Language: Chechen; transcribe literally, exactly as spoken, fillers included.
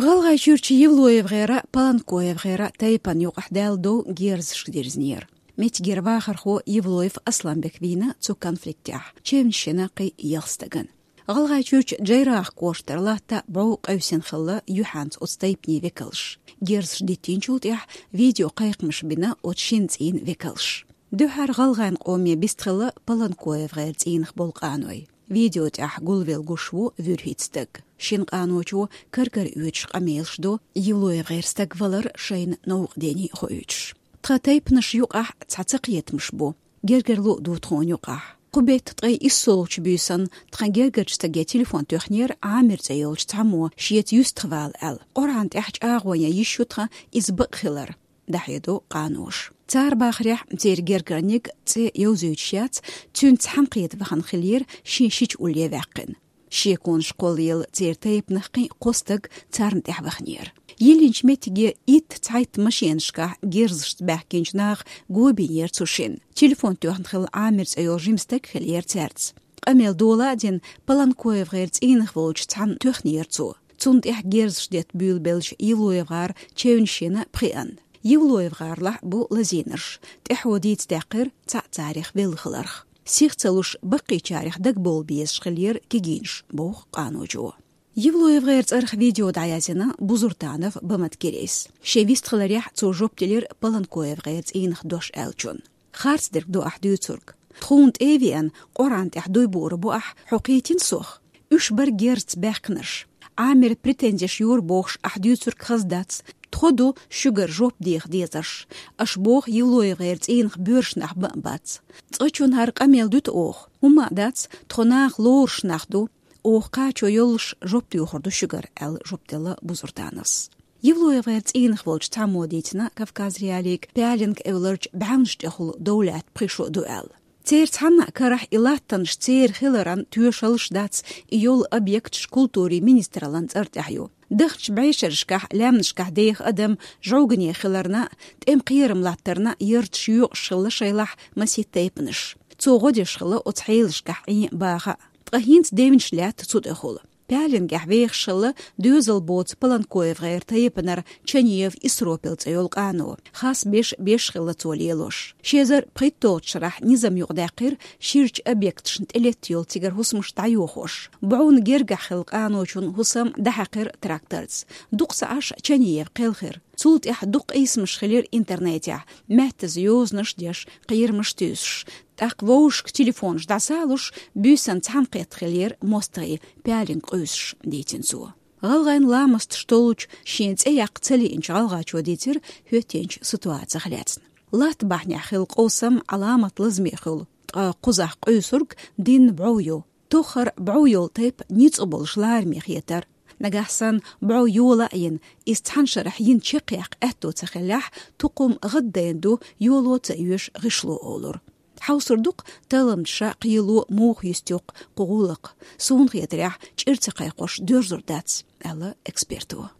ГӀалгӀайчуьрчу ЕвлоевгӀеран, ПолонкоевгӀеран тайпанна юкъахь даьлла дов герзашка дирзинера. Меттигера вахархо Евлоев Асланбек вийна цу конфликтехь, чевнаш йина кхин ялх стагана. ГӀалгӀайчуьрчу Джейрах кӀоштара латта бӀов къевсина хилла юьхьанца оцу тайпанийн векалш. Герзаш диттинчул тӀаьхьа видео кхайкхамаш бина оцу шина цӀийнан векалш. Дуьххьара гӀалгӀайн къоме бистхилла ПолонкоевгӀеран цӀийнах болу къаной. Видео тӀехь гулвелла гуш ву вуьрхӀитта стаг. Шина къаночо кар-кара оьцуш къамелаш до, ЕвлоевгӀеран стаг валар шайна новкъа дене а хоуьйтуш. Тхан тайпанаш юкъахь цхьа цакхетамаш бу. Гергарло а ду тхуна юкъахь. Кху беттан ткъе иссолгӀачу буьйсанна тхан гергарчу стаге телефон тоьхнера Ӏамир цӀе йолчу цхьаммо, шеца юьстахвала аьлла. Къуръан тӀехь чӀагӀо ян йиш ю тхан иза бакъ хилар, дӀахьедо къаноша. Цара бахарехь, церан гергарниг цӀе йовзуьйтуш яц, цуьнца цхьаьнакхета вахана хиллера шен шича улле ваьккхина. Шеконаш кхоллаелла церан тайпанах кхин а кхо стаг царна тӀаьхьа ваханера. Йиллинчу меттиге итт цхьайтта машенашкахь герзашца баьхкинчу наха го бинера цу шинна. Телефон тоьхна хилла Ӏамир цӀе йолу жима стаг хиллера цаьрца. Къамел дола а дина, ПолонкоевгӀеран цӀийнах волчу цхьанна тоьхнера цо. Цунна тӀехь герзаш детта буьйлабелча ЕвлоевгӀар чевнаш йина пхиъанна. ЕвлоевгӀарлахь бу лазийнарш, тӀаьхьо дийца даьккхира цхьаъ царах велла хиларх. Сих ца луш, баккхийчарех дагабовла безаш хиллера кегийнаш, боху къаночо. ЕвлоевгӀеран цӀарах видео дӀаязйина Бузуртанов Баматкирис. Шен вистхиларехь цо жоп делира ПолонкоевгӀеран цӀийнах дош аьллачунна. Харц дерг ду ахь дуьйцург. Тхуна тӀе а веана, Къуръан тӀехь дуй буур бу ахь, хьо кхийтина сох? Уьш бара герзаца баьхкинарш. Ӏамира претензеш йора бохуш ахь дуьйцург хаза дац. Тхо ду шуьгара жоп деха дезарш. Аша боху ЕвлоевгӀеран цӀийнах боьрша нах бан а бац. Цкъачунна хӀара къамел дуьту оха? ХӀумма а дац, тхо наха лоруш нах ду. Оха кхачо йолуш жоп доьхур ду шуьгара, аьлла жоп делла Бузуртановс. ЕвлоевгӀеран цӀийнах волчу цхьаммо дийцина Кавказ.Реалиига Пялинг эвларчу бӀаьвнаш тӀехула дов лаьтта пхи шо ду аьлла. Церан цхьанна а карахь и латтанаш церан хиларан тоьшаллаш дац, и йолу объекташ культурин министраллан цӀар тӀехь ю. Дахначу бӀешерашкахь лаьмнашкахь деха адам жӀовгане хиларна а, тӀеман кхерам латтарна а ярташ йоькъуш хилла шайлахь масийтта тайпанаш. Цо гӀо деш хилла оцу хьелашкахь Ӏен а, баха а. Ткъа хӀинца девнаш лаьтта цу тӀехула. Пялингехь вехаш хилла доьзал боцу ПолонкоевгӀеран тайпанара Чанеев Исропил цӀе йолу къано. Хас беш беш хилла цо лелош. Ши эзар пхийтталгӀачу шарахь низам юкъадаьккхира ширачу объекташна тӀелетта йолу цигара хӀусамаш дӀайохош. БӀовна гергахь хилла къаночун хӀусам дӀахьаькхира тракторца. Дукха ца Ӏаш Чанеев кхелхира. Цул тӀаьхьа дукха къийсамаш хилира интернетехь, маьттаза йозанаш деш, кхерамаш туьйсуш. ТӀаккха вовшашка телефонаш дӀасалуш, буьйсанна цхьаьнакхетта хиллера мостагӀий, Пялинг къуьйсуш, дийцина цо. ГӀалгӀайн ламасташ толлучу шен цӀе яккха ца лиъначу гӀалгӀачо дийцира хӀоьттинчу ситуацих лаьцна. Латта бахьанехь хилла къовсам Ӏаламат лазаме хуьлу, ткъа кхузахь къуьйсург динна бӀов ю. Тоххара бӀов йолу тайпа ницкъ болуш лараме хетара. Нагахь санна бӀов йола а йина, иза цхьана шарахь йина чекхъяккха аьтто ца хиллехь, тукхум гӀаддайна ду, йоло ца оьшу гӀишло олура. Хьовсур ду-кх, талламчаша кхело муха юьсту-кх кху гӀуллакх. Суна хетарехь, чӀир ца кхайкхош доьрзур дац, аьлла эксперто.